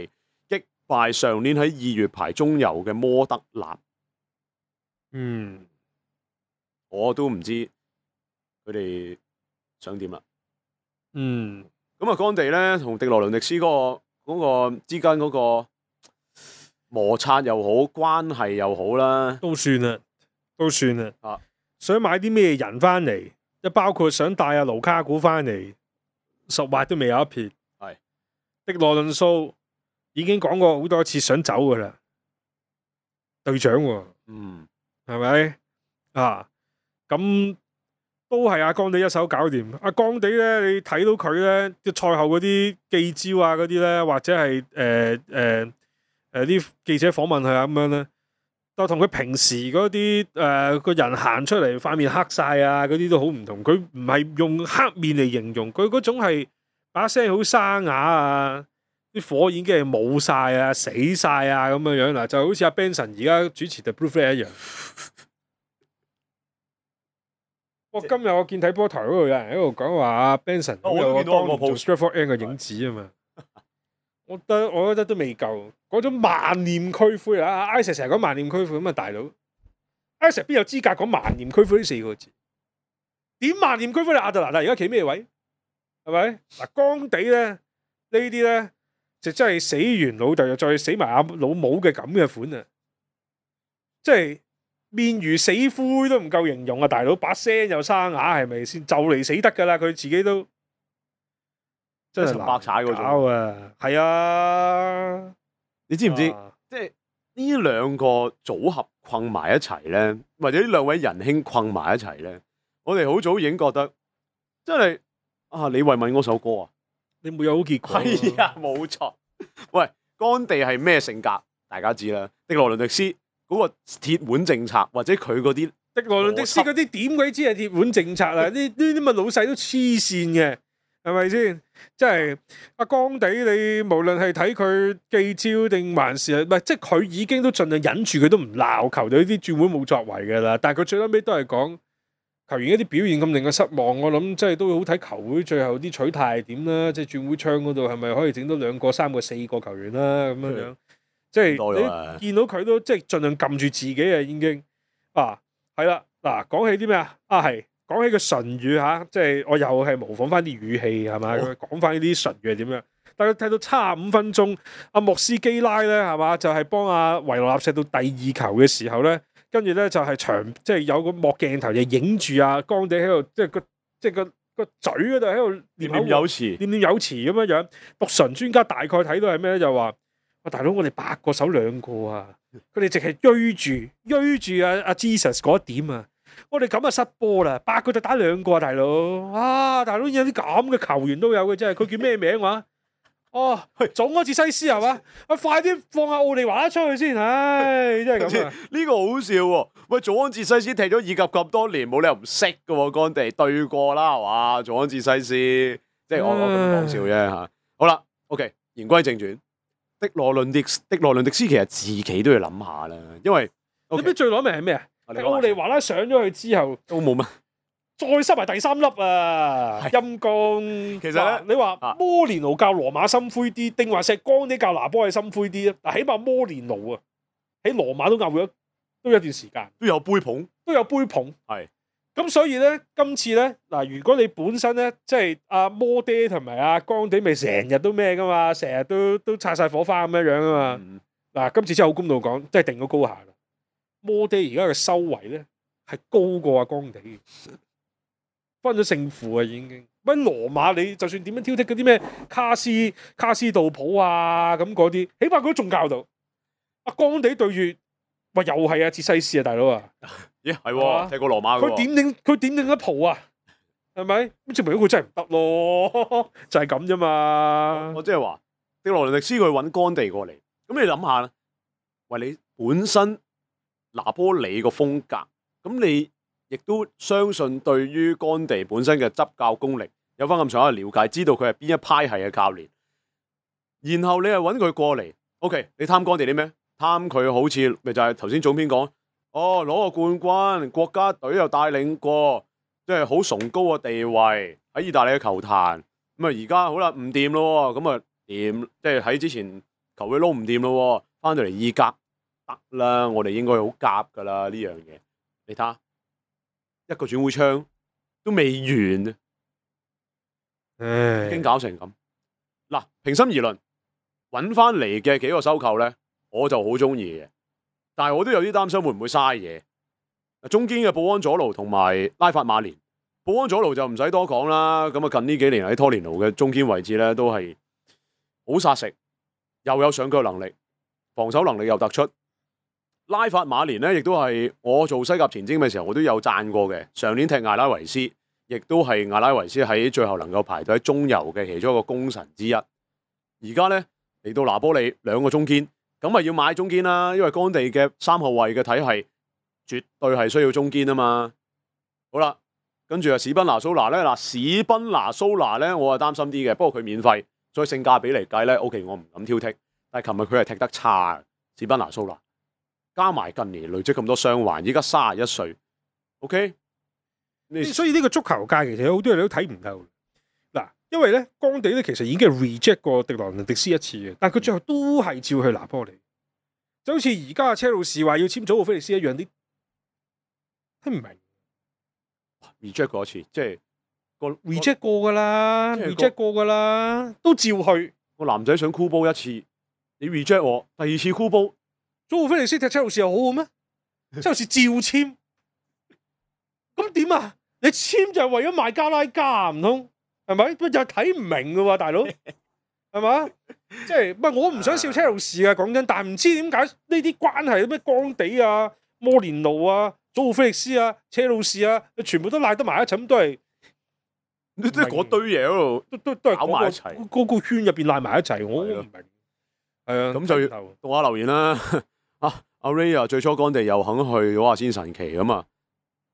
擊敗上年喺二月排中游嘅摩德納。嗯。我都唔知佢哋想點啦。嗯，咁啊，干地咧同迪羅倫迪斯嗰、個嗰、個之間嗰個摩擦又好，關係又好啦，都算啦，都算啦。啊，想買啲咩人翻嚟，即包括想帶阿盧卡古翻嚟，十劃都未有一撇。係迪羅倫素已經講過好多次想走噶啦，隊長喎、啊，嗯，係咪啊？咁都係阿江地一手搞掂。阿江地咧，你睇到佢咧，即賽後嗰啲記招啊，嗰啲咧，或者係誒誒誒啲記者訪問佢啊咁樣咧，就同佢平時嗰啲誒個人行出嚟塊面黑晒啊，嗰啲都好唔同。佢唔係用黑面嚟形容，佢嗰種係把聲好沙啞啊，啲火已經係冇晒啊，死晒啊咁樣樣嗱，就好似阿 Benson 而家主持 The Blue Flag 一樣。我今日我見睇波台嗰度有人喺度講話阿 Benson 好有個當年做 Stratford End 嘅影子啊嘛，我覺得我覺得都未夠嗰種萬念俱灰啊！Isaac 成日講萬念俱灰咁啊，大佬 Isaac 邊有資格講萬念俱灰呢四個字？點萬念俱灰？你亞特蘭大而家企咩位？係咪嗱？江地咧呢啲咧就真係死完老豆又再死埋阿老母嘅咁嘅款啊！即係。面如死灰都唔夠形容啊！大佬把聲又沙啞，係咪先就嚟死得噶啦？佢自己都真係白踩嗰種啊！係啊，你知唔知？啊、即係呢兩個組合困埋一齊咧，或者呢兩位仁兄困埋一齊咧，我哋好早已經覺得真係啊！李慧敏嗰首歌啊，你冇有好結果？係啊，冇錯。喂，干地係咩性格？大家知啦，迪羅倫迪斯。嗰個鐵腕政策，或者佢嗰啲迪羅倫迪斯嗰啲點鬼知係鐵腕政策啊？呢呢啲咁嘅老細都黐線嘅，係咪先？即係阿江地，你無論係睇佢記招定還是係唔係，即係佢已經都盡量忍住，佢都唔鬧球隊啲轉會冇作為嘅啦。但係佢最後尾都係講球員一啲表現咁令佢失望，我諗即係都好睇球會最後啲取態係點啦。即係轉會窗嗰度係咪可以整到兩個、三個、四個球員啦咁樣樣？即係你見到佢都即係盡量撳住自己啊，已經啊係啦嗱，講起啲咩啊？啊係講起個唇語嚇，即係我又係模仿翻啲語氣係咪？講翻呢啲唇語係點樣？但係睇到差五分鐘，阿莫斯基拉咧係嘛，就係幫阿維羅納射到第二球嘅時候咧，跟住咧就係長即係有個幕鏡頭就影住阿江地喺度，即係個即係個個嘴嗰度喺度念念有詞，念念有詞咁樣樣。讀唇專家大概睇到係咩咧？就話。啊，大佬，我哋八個手兩個啊，佢哋淨係追住追住阿阿 Jesus 嗰一點啊，我哋咁啊失波啦，八個就打兩個啊，大佬啊，大佬有啲咁嘅球員都有嘅，真係，佢叫咩名話？哦，祖安治西斯係嘛？啊，快啲放下奧利華出去先，唉，真係咁啊！呢個好笑喎，喂，祖安治西斯踢咗意甲咁多年，冇理由唔識嘅喎，干地對過啦，係嘛？祖安治西斯，即係我我咁講笑啫嚇。好啦 ，OK， 言歸正傳。迪羅倫迪迪羅倫迪斯其實自己都要諗下啦，因為、okay, 你知最攞命係咩啊？奧利華拉上咗去之後都冇乜，再塞埋第三粒啊！陰公。其實咧，你話摩連奴教羅馬心灰啲，定話石江啲教拿波係心灰啲啊？嗱，起碼摩連奴啊，喺羅馬都拗咗都有一段時間，都有杯捧，都有杯捧，係。咁所以咧，今次咧嗱，如果你本身咧，即係阿摩爹同埋阿江地，咪成日都咩噶嘛，成日都都擦晒火花咁樣樣啊嘛。嗱、嗯，今次真係好公道講，真係定咗高下啦。摩爹而家嘅收圍咧係高過阿江地，分咗勝負啊已經。喂，羅馬你就算點樣挑剔嗰啲咩卡斯卡斯道普啊咁嗰啲，起碼佢都仲教到。阿江地對住。喂，又係啊，哲西斯啊，大佬啊，咦係喎，踢過羅馬嘅喎，佢點定佢點定一蒲啊？係咪？咁證明佢真係唔得咯，就係咁啫嘛。我即係話，迪羅倫迪斯佢揾干地過嚟，咁你諗下啦，喂，你本身拿波里個風格，咁你亦都相信對於干地本身嘅執教功力有翻咁上下嘅了解，知道佢係邊一派系嘅教練，然後你係揾佢過嚟 ，OK， 你貪干地啲咩？貪佢好似咪就係頭先總編講，哦，攞個冠軍，國家隊又帶領過。即係好崇高嘅地位喺意大利嘅球壇，咁啊而家好啦唔掂咯，咁啊掂，即係喺之前球會撈唔掂咯，翻到嚟意甲得啦，我哋應該好夾噶啦呢樣嘢。你睇下一個轉會窗都未完，唉，已經搞成咁。嗱，平心而論，揾翻嚟嘅幾個收購咧，我就好中意嘅，但係我都有啲擔心會唔會嘥嘢。中堅嘅保安佐勞同埋拉法馬連，保安佐勞就唔使多講啦。咁啊，近呢幾年喺拖連奴嘅中堅位置咧，都係好殺食，又有上腳能力，防守能力又突出。拉法馬連咧，亦都係我做西甲前瞻嘅時候，我都有讚過嘅。上年踢艾拉維斯，亦都係艾拉維斯喺最後能夠排到喺中游嘅其中一個功臣之一。而家咧嚟到拿波利兩個中堅，咁咪要買中堅啦，因為干地嘅三後衛嘅體系。絕對係需要中堅啊嘛，好啦，跟住啊史賓拿蘇拿咧，嗱史賓拿蘇拿咧，我係擔心啲嘅，不過佢免費，所以性價比嚟計咧 ，OK， 我唔敢挑剔。但係琴日佢係踢得差，史賓拿蘇拿加埋近年累積咁多傷患，依家三十一歲 ，OK， 所以呢個足球界其實有好多人都睇唔透。嗱，因為咧干地咧其實已經係 reject 過迪羅倫迪斯一次嘅，但係佢最後都係照去拿波利，就好似而家車路士話要簽祖奧菲利斯一樣啲。聽唔明 reject 過一次，即係個 reject 過噶啦 ，reject 過噶啦，都照去。個男仔想箍煲一次，你 reject 我，第二次箍煲，祖奧菲利斯踢車路士又好好咩？車路士照簽，咁點啊？你簽就係為咗賣加拉加唔通？係咪？又睇唔明噶喎，大佬，係嘛？即係唔係？我唔想笑車路士啊，講真，但係唔知點解呢啲關係咩干地啊、摩連奴啊。祖奧菲力斯啊、車路士啊，全部都賴得埋一齊，都係即係嗰堆嘢喺度，都都都係搞埋一齊，嗰個圈入邊賴埋一齊，我唔明。係啊，咁就要讀下留言啦。啊，阿 Ray 啊，最初干地又肯去攞下先神奇咁啊。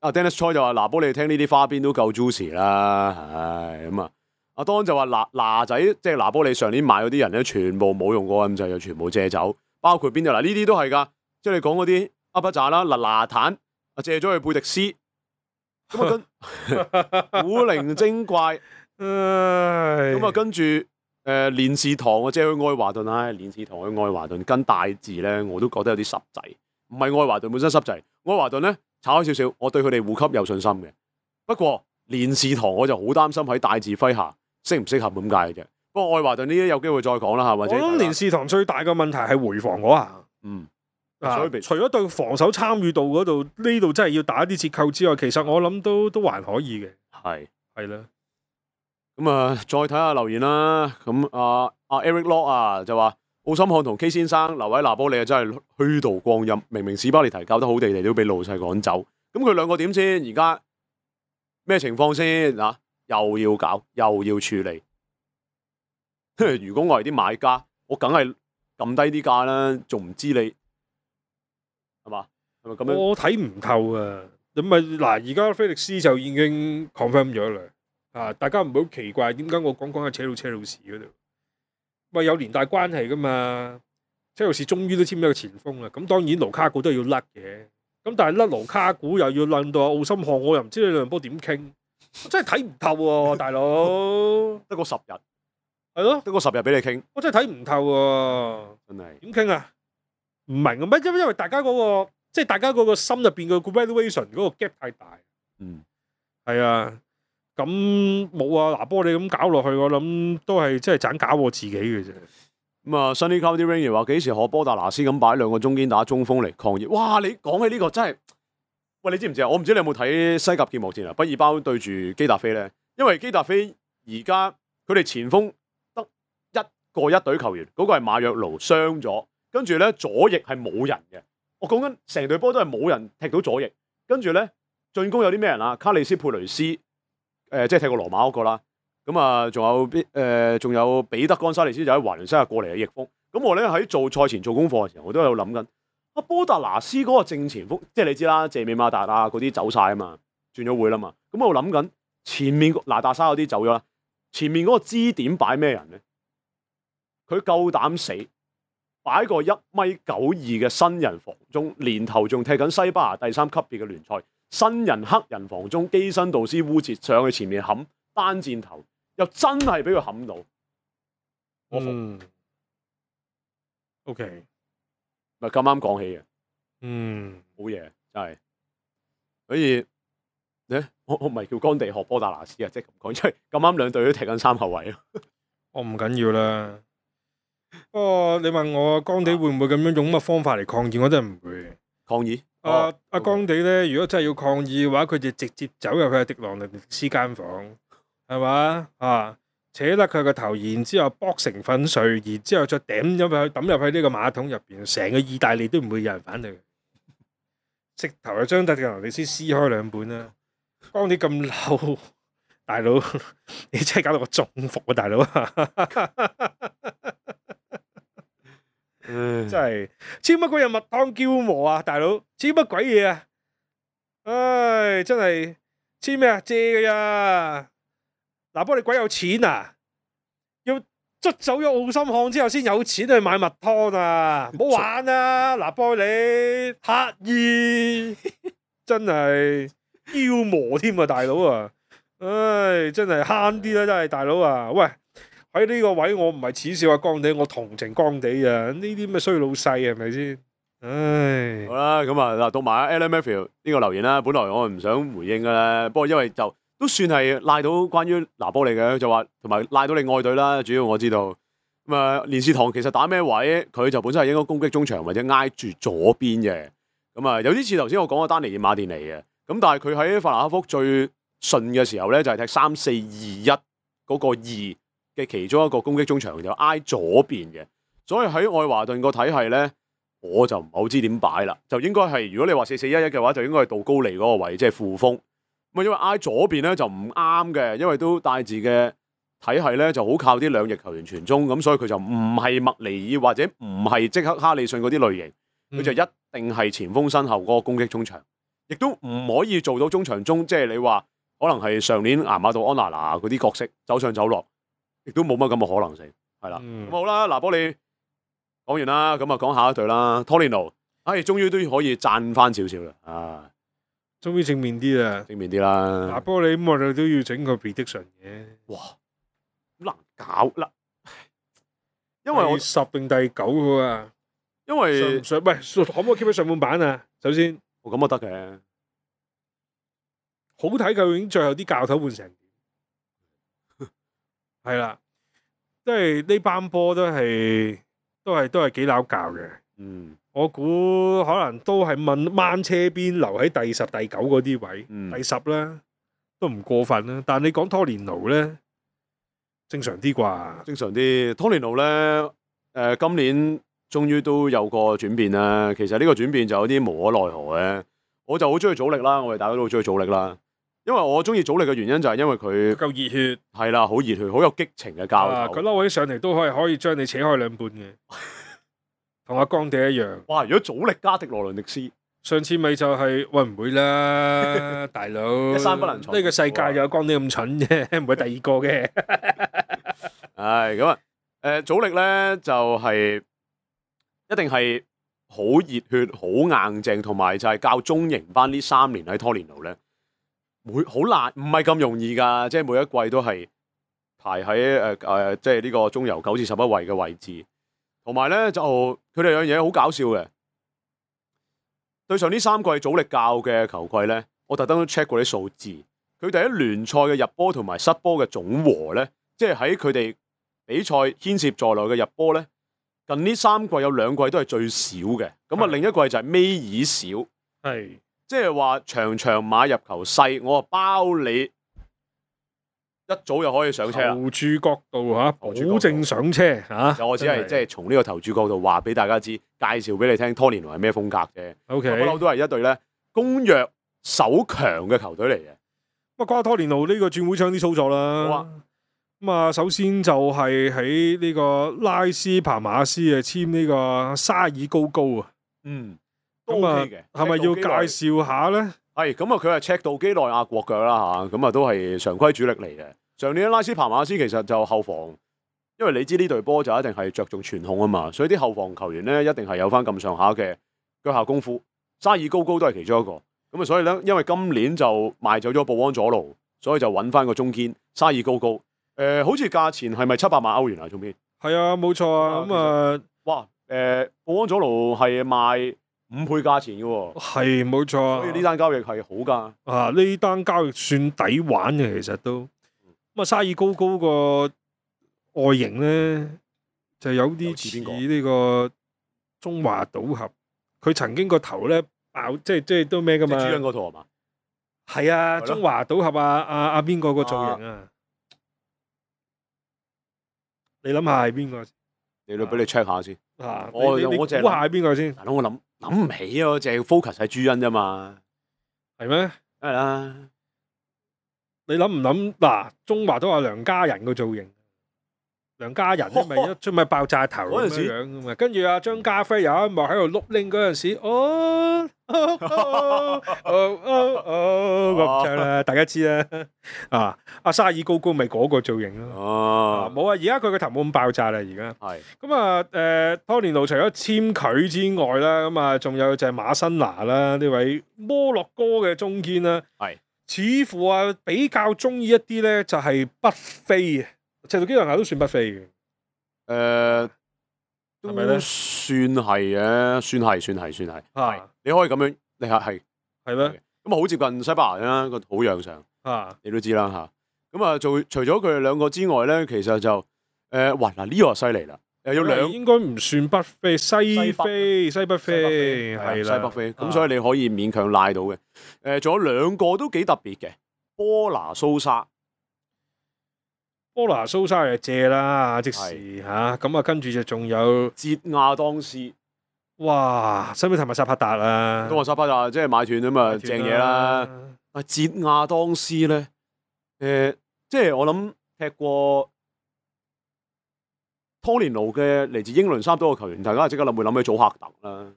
阿 Dennis Choi 就話：嗱，幫你聽呢啲花邊都夠 juicy 啦，唉咁啊。阿 Don 就話：嗱嗱仔，即係拿波利上年買嗰啲人咧，全部冇用過咁就又全部借走，包括邊度嗱？呢啲都係㗎，即係你講嗰啲阿不扎啦，嗱拿坦。借咗去貝迪斯，咁啊跟古靈精怪，咁啊跟住誒連士堂啊借去愛華頓，唉連士堂去愛華頓跟大字咧，我都覺得有啲濕滯，唔係愛華頓本身濕滯，愛華頓咧炒開少少，我對佢哋護級有信心嘅。不過連士堂我就好擔心喺大字麾下適唔適合咁解嘅啫。不過愛華頓呢啲有機會再講啦嚇，或者我諗連士堂最大嘅問題係回防嗰下，嗯。啊、除咗對防守參與度嗰度呢度真係要打啲折扣之外，其實我諗都都還可以嘅。係係啦，咁啊，再睇下留言啦。咁啊啊 Eric Lock 啊就話奧森漢同 K 先生留喺拿波利啊，真係虛度光陰。明明史巴列提教得好地地，都俾老細趕走。咁佢兩個點先？而家咩情況先？嗱、啊，又要搞，又要處理。如果我係啲買家，我梗係撳低啲價啦，仲唔知你？係嘛？係咪咁樣？我睇唔透啊！咁咪嗱，而家菲力斯就已經 confirm 咗啦。啊，大家唔好奇怪，點解我講講下扯到車路士嗰度？喂，有連帶關係噶嘛？車路士終於都簽咗個前鋒啦。咁當然盧卡古都要甩嘅。咁但係甩盧卡古又要論到奧森漢，我又唔知你兩波點傾，我真係睇唔透喎、啊，大佬。得個十日，係咯，得個十日俾你傾，我真係睇唔透喎、啊。真係點傾啊？唔明啊咩？因為因為大家嗰、嗰個即係大家嗰個心入邊嘅 valuation 嗰個 gap 太大。嗯，係啊。咁冇啊！拿波你咁搞落去，我諗都係即係盞搞我自己嘅啫。咁啊 ，Sunny Cloudy Rain 話幾時學波達拿斯咁擺兩個中堅打中鋒嚟抗熱？哇！你講起呢個真係，喂，你知唔知啊？我唔知你有冇睇西甲揭幕戰啊？畢爾包對住基達菲咧，因為基達菲而家佢哋前鋒得一個一隊球員，嗰、嗰個係馬約盧傷咗，跟住咧左翼係冇人嘅。我講緊成隊波都係冇人踢到左翼，跟住咧進攻有啲咩人啊？卡利斯佩雷斯。誒即係踢過羅馬嗰個啦。咁啊，仲有邊誒仲有彼得岡沙利斯就喺華倫西亞過嚟嘅翼鋒。咁我咧喺做賽前做功課嘅時候，我都有諗緊阿波達拿斯嗰個正前鋒，即係你知啦，謝美馬達啊嗰啲走晒啊嘛，轉咗會啦嘛。咁我諗緊前面嗱達沙嗰啲走咗啦，前面嗰個支點擺咩人咧？佢夠膽死擺個一米九二嘅新人防中，年頭仲踢緊西班牙第三級別嘅聯賽，新人黑人防中基辛道斯烏捷上去前面冚單箭頭，又真係俾佢冚到，我服。嗯 O.K. 咪咁啱講起嘅，嗯，好嘢真係。所以咧，我我唔係叫干地學波達拿斯啊，即係咁講，因為咁啱兩隊都踢緊三後衞咯。我唔緊要啦。不過你問我干地會唔會咁樣用乜方法嚟抗議，我真係唔會。抗議？阿阿干地咧，如果真係要抗議嘅話，佢就直接走入去迪朗尼斯間房，係嘛啊？扯甩佢個頭，然之後剝成粉碎，然之後再抌入去抌入去呢個馬桶入邊，成個意大利都唔會有人反對。直頭就將迪朗尼斯撕開兩半啦。干地咁嬲，大佬你真係搞到我中伏啊，大佬！真係超乜鬼嘢蜜湯嬌磨啊，大佬！超乜鬼嘢啊！唉，真係黐咩啊？借㗎呀！嗱，不過你鬼有錢啊！要捽走咗奧森漢之後先有錢去買蜜湯啊！唔好玩啊！嗱，波你乞衣真係嬌磨添啊，大佬啊！唉，真係慳啲啦，真係大佬啊！喂，喺呢個位我唔係恥笑阿干地，我同情干地啊！呢啲咩衰老細係咪先？唉，好啦，咁啊嗱，讀埋阿 Alan Matthew 呢個留言啦。本來我唔想回應嘅咧，不過因為就都算係賴到關於拿波利嘅，就話同埋賴到你愛隊啦。主要我知道咁啊，連士堂其實打咩位，佢就本身係應該攻擊中場或者挨住左邊嘅。咁啊，有啲似頭先我講嘅丹尼爾馬甸尼嘅。咁但係佢喺法蘭克福最順嘅時候咧，就係踢三四二一嗰個二嘅其中一個攻擊中場就挨左邊嘅。所以喺愛華頓個體系咧，我就唔係好知點擺啦。就應該係如果你話四四一一嘅話，就應該係杜高尼嗰個位，即係副鋒。咁啊，因為挨左邊咧就唔啱嘅，因為都大字嘅體系咧就好靠啲兩翼球員傳中，咁所以佢就唔係麥尼爾或者唔係即刻哈利遜嗰啲類型，佢就一定係前鋒身後嗰個攻擊中場，亦都唔可以做到中場中，即係你話可能係上年亞馬杜安娜拿嗰啲角色走上走落，亦都冇乜咁嘅可能性，係啦。咁、嗯、好啦，拿波利講完啦，咁啊講下一隊啦，托連奴，唉，終於都可以讚翻少少啦，啊！終於正面啲啦，正面啲啦。拿波利咁我哋都要整個 prediction 嘅。哇，好難搞啦，因為我十定第九嘅啊。因為上喂可唔可以 keep 喺上半版啊？首先，我咁都得嘅，好睇究竟最後啲教頭換成點？係啦，即係呢班波都係都係都係幾拗教嘅。嗯。我估可能都係問掹車邊留喺第十、第九嗰啲位，嗯、第十啦，都唔過分啦。但係你講拖連奴咧，正常啲啩？正常啲。拖連奴咧，誒、呃、今年終於都有個轉變啦。其實呢個轉變就有啲無可奈何嘅。我就好中意祖力啦，我哋大家都好中意祖力啦。因為我中意祖力嘅原因就係因為佢夠熱血，係啦，好熱血，好有激情嘅教頭。佢嬲起上嚟都可以可以將你扯開兩半嘅。同阿干地一樣。哇！如果祖力加迪羅倫迪斯，上次咪就係、是、喂唔會啦，大佬。一山不能藏。呢個世界有干地咁蠢啫，唔會第二個嘅。係咁啊！誒，祖力咧就係、是、一定係好熱血、好硬淨，同埋就係教中型班呢三年喺拖連奴咧，每好難，唔係咁容易㗎。即係每一季都係排喺誒誒，即係呢個中游九至十一位嘅位置。同埋咧就佢哋有樣嘢好搞笑嘅，對上呢三季祖力教嘅球季咧，我特登都 check 過啲數字，佢哋喺聯賽嘅入波同埋失波嘅總和咧，即係喺佢哋比賽牽涉在內嘅入波咧，近呢三季有兩季都係最少嘅，咁啊另一季就係尾二少，係即係話場場馬入球細，我啊包你。一早就可以上車啦！投注角度嚇，保證上車嚇。我只係即係從呢個投注角度話俾大家知，介紹俾你聽，拖連奴係咩風格啫。O K，不嬲都係一隊咧攻弱守強嘅球隊嚟嘅。咁啊，講下拖連奴呢個轉會窗啲操作啦。好啊。咁啊，首先就係喺呢個拉斯帕馬斯啊簽呢個沙爾高高啊。嗯，都咁啊 OK 嘅。係咪要介紹下咧？係咁啊，佢係赤道基內亞國腳啦嚇，咁啊都係常規主力嚟嘅。上年拉斯帕馬斯其實就後防，因為你知呢隊波就一定係着重傳控啊嘛，所以啲後防球員咧一定係有翻咁上下嘅腳下功夫。沙爾高高都係其中一個。咁啊，所以咧，因為今年就賣走咗布安佐盧，所以就揾翻個中堅沙爾高高。誒、呃，好似價錢係咪七百萬歐元啊？中邊？係啊，冇錯啊。咁啊，哇！誒、呃，布安佐盧係賣五倍價錢嘅喎。係冇錯啊。所以呢單交易係好㗎。啊，呢單交易算抵玩嘅，其實都。咁啊，沙爾高高個外形咧就有啲似呢個中華賭俠。佢曾經個頭咧爆，即係即係都咩㗎嘛？即係朱茵嗰套係嘛？係啊，中華賭俠啊，阿阿邊個個造型啊？你諗下係邊個？你都俾你 check 下先。啊，我你你我淨估下係邊個先？大佬，我諗諗唔起啊，我淨係 focus 喺朱茵啫嘛。係咩？梗係啦。你諗唔諗嗱？中華都話梁家仁個造型，梁家仁咧咪一出咪爆炸頭咁樣樣噶嘛？跟住阿張家輝有一幕喺度碌拎嗰陣時，哦哦哦哦哦咁唱啦，大家知啦。啊，阿沙爾高高咪嗰個造型咯。哦，冇啊！而家佢個頭冇咁爆炸啦，而家。係。咁啊，誒，拖連奴除咗簽佢之外啦，咁啊，仲有就係馬辛拿啦，呢位摩洛哥嘅中堅啦。係。似乎啊，比較中意一啲咧，就係北非啊，赤道幾內亞都算北非嘅。誒，係咪咧？算係嘅，算係，算係，算係。係。你可以咁樣，你係係係咩？咁啊，好接近西班牙啦，個土壤上。啊，你都知啦嚇。咁啊，做除咗佢哋兩個之外咧，其實就誒，哇嗱呢個犀利啦，又有兩應該唔算北非，西非、西北非係啦，西北非。咁所以你可以勉強賴到嘅。誒，仲有兩個都幾特別嘅，波拿蘇沙。波拿蘇沙係借啦，即時嚇。咁啊，跟住就仲有捷亞當斯。哇！使唔使提埋薩帕達啊？都話薩帕達即係買斷啊嘛，正嘢啦。啊，捷亞當斯咧，誒，即係我諗踢過拖連奴嘅嚟自英倫三島嘅球員，大家即刻諗會諗起祖克特啦。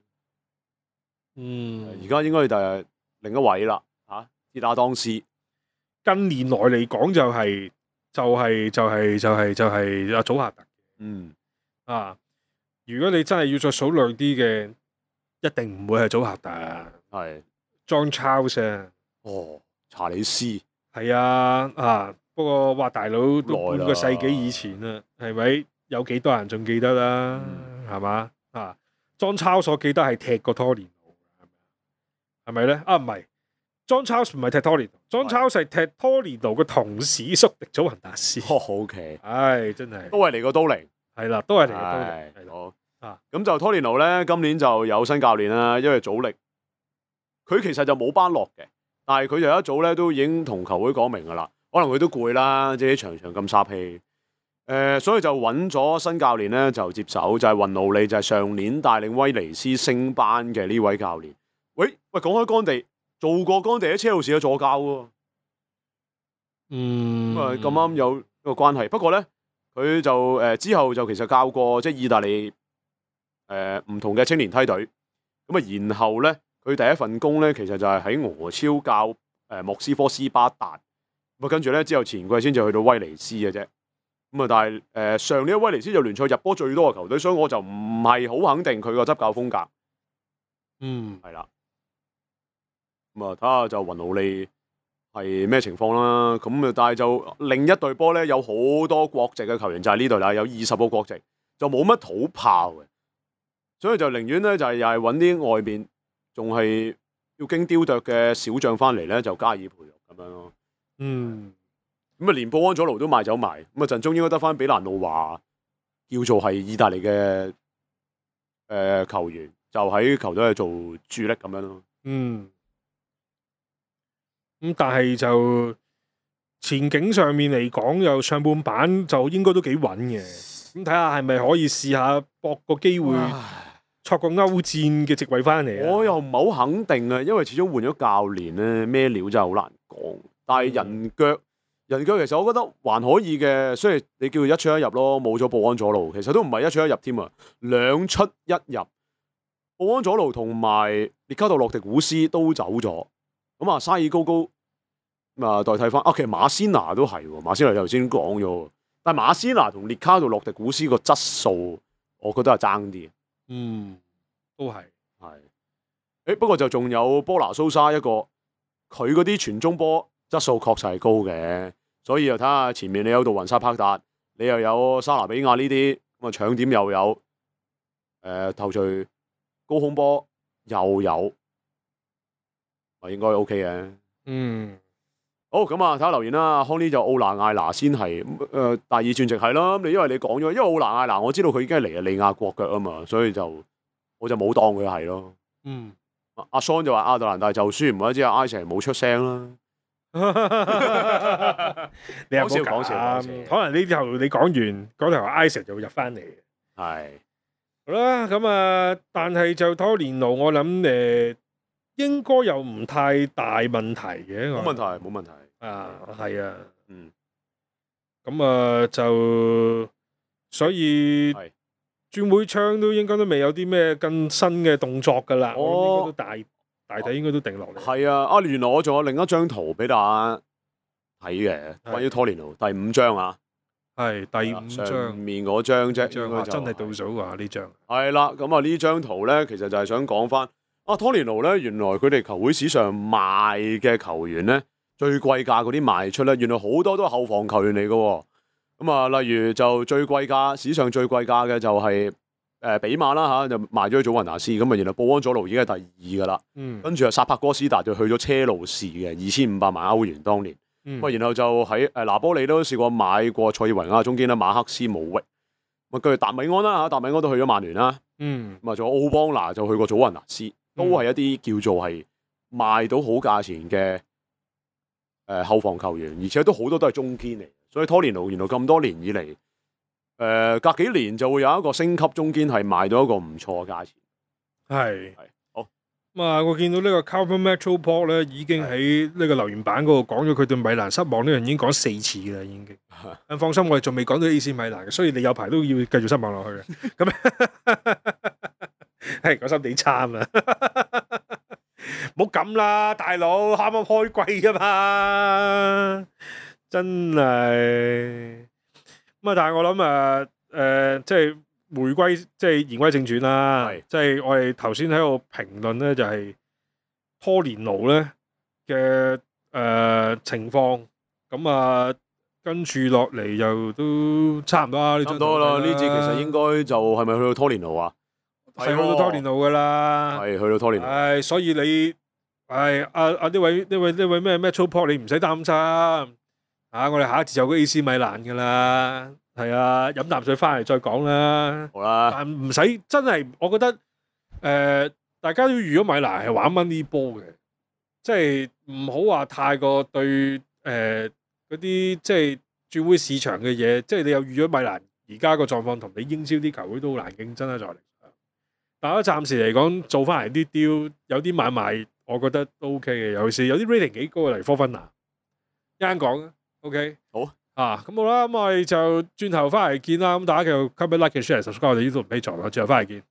嗯，而家應該就係另一位啦，嚇，捷亞當斯。近年來嚟講就係就係就係就係就係阿祖克特。嗯，啊，如果你真係要再數量啲嘅，一定唔會係祖克特，係 John Charles 啊。哦，查理斯。係啊，啊，不過哇，大佬都半個世紀以前啦，係咪？有幾多人仲記得啦？係嘛、嗯？啊，John Charles 我記得係踢過拖連奴，係咪咧？啊，唔係，John Charles 唔係踢拖連奴，John Charles 係踢拖連奴嘅同事宿敵祖雲達斯。哦，OK，唉，真係都係嚟過都靈，係啦，都係嚟過都靈，係好啊。咁就拖連奴咧，今年就有新教練啦，因為主力佢其實就冇班落嘅，但係佢就一早咧都已經同球會講明噶啦，可能佢都攰啦，即係場場咁殺氣。誒、呃，所以就揾咗新教練咧，就接手就係、是、雲奴利，就係、是、上年帶領威尼斯升班嘅呢位教練。喂喂，講開干地，做過干地喺車路士嘅助教喎。嗯，咁啊咁啱有一個關係。不過咧，佢就誒、呃、之後就其實教過即係意大利誒唔、呃、同嘅青年梯隊。咁啊，然後咧佢第一份工咧，其實就係喺俄超教誒、呃、莫斯科斯巴達。咁啊，跟住咧之後前季先至去到威尼斯嘅啫。咁啊，但係誒、呃、上年威尼斯就聯賽入波最多嘅球隊，所以我就唔係好肯定佢個執教風格。嗯，係啦。咁啊，睇下就雲奴利係咩情況啦。咁啊，但係就另一隊波咧，有好多國籍嘅球員就係呢隊啦，有二十個國籍，就冇乜土炮嘅，所以就寧願咧就係又係揾啲外邊仲係要經雕琢嘅小將翻嚟咧，就加以培育咁樣咯。嗯。咁啊，連布安佐盧都賣走埋，咁啊陣中應該得翻比蘭路華，叫做係意大利嘅誒、呃、球員，就喺球隊去做主力咁樣咯。嗯。咁但係就前景上面嚟講，又上半版就應該都幾穩嘅。咁睇下係咪可以試下搏個機會，戳個歐戰嘅席位翻嚟。我又唔係好肯定啊，因為始終換咗教練咧，咩料真係好難講。但係人腳、嗯、人腳其實我覺得還可以嘅，雖然你叫佢一出一入咯，冇咗布安佐路，其實都唔係一出一入添啊，兩出一入。布安佐路同埋列卡杜洛迪古斯都走咗，咁啊沙爾高高咁啊代替翻。啊，其實馬仙拿都係喎，馬仙拿頭先講咗，但係馬仙拿同列卡杜洛迪古斯個質素，我覺得係爭啲。嗯，都係係。誒不過就仲有波拿蘇沙一個，佢嗰啲傳中波質素確實係高嘅，所以又睇下前面你有杜雲沙帕達，你又有沙拿比亞呢啲咁啊搶點又有，誒、呃、頭槌。高空波又有，啊應該 OK 嘅。嗯，好咁啊，睇下留言啦。康呢就奧拿艾拿先係，誒、呃、第二轉直係啦。你因為你講咗，因為奧拿艾拿我知道佢已經係尼日利亞國腳啊嘛，所以就我就冇當佢係咯。嗯，阿桑就話亞特蘭大就輸，唔怪之阿艾成冇出聲啦。你又冇講笑，可能呢頭你講完嗰頭艾成就會入翻嚟。係。好啦，咁啊，但係就拖連奴，我諗誒應該又唔太大問題嘅。冇問題，冇問題。啊，係啊，嗯，咁啊就所以轉會窗都應該都未有啲咩更新嘅動作㗎啦。我應該都大大體應該都定落嚟。係啊，啊原來我仲有另一張圖俾大家睇嘅，關於拖連奴第五張啊。係第五張上面嗰張啫，張真係倒數啊！呢張係啦，咁啊呢張圖咧，其實就係想講翻啊，拖連奴咧，原來佢哋球會史上賣嘅球員咧，最貴價嗰啲賣出咧，原來好多都係後防球員嚟嘅。咁啊，例如就最貴價史上最貴價嘅就係、是、誒、呃、比馬啦嚇，就賣咗去祖雲達斯，咁啊，然後布安佐盧已經係第二噶啦，嗯，跟住啊薩帕哥斯達就去咗車路士嘅二千五百萬歐元當年。咁、嗯、然後就喺誒拿波利都試過買過塞爾維亞中堅啦，馬克斯姆域。咁跟住達米安啦嚇，達米安都去咗曼聯啦。嗯，咁啊仲有奧邦拿就去過祖雲達斯，都係一啲叫做係賣到好價錢嘅誒後防球員，而且都好多都係中堅嚟。所以拖連奴原來咁多年以嚟，誒、呃、隔幾年就會有一個升級中堅係賣到一個唔錯嘅價錢。係。咁啊！嗯、我見到呢個 Calvin Metroport 咧，已經喺呢個留言板嗰度講咗佢對米蘭失望呢樣已經講四次啦，已經。咁放心，我哋仲未講到 A C 米蘭嘅，所以你有排都要繼續失望落去嘅。咁係講心地差啊！唔好咁啦，大佬，啱啱開季啊嘛，真係。咁啊，但係我諗啊，誒、呃，即係。回歸即係言歸正傳啦，即係我哋頭先喺度評論咧，就係拖連奴咧嘅誒情況，咁啊跟住落嚟又都差唔多啦。差唔多啦，呢節其實應該就係咪去到拖連奴啊？係去到拖連奴噶啦，係去到拖連奴。係所以你係阿阿呢位呢位呢位咩咩 Metroport，你唔使擔心啊！我哋下一節就個 A C 米蘭噶啦。係啊，飲啖水翻嚟再講啦。好啦，但唔使真係，我覺得誒、呃，大家都預咗米蘭係玩 money ball 嘅，即係唔好話太過對誒嗰啲即係轉會市場嘅嘢，即係你又預咗米蘭而家個狀況同你英超啲球會都好難競爭啦，再嚟。但係暫時嚟講，做翻嚟啲 deal，有啲買賣，我覺得都 OK 嘅，尤其是有啲 rating 幾高嘅，例如科芬拿，一陣講啊 OK 好。啊，咁好啦，咁我哋就轉頭翻嚟見啦。咁大家繼續 comment like share subscribe 我哋呢度唔俾錯啦，轉頭翻嚟見。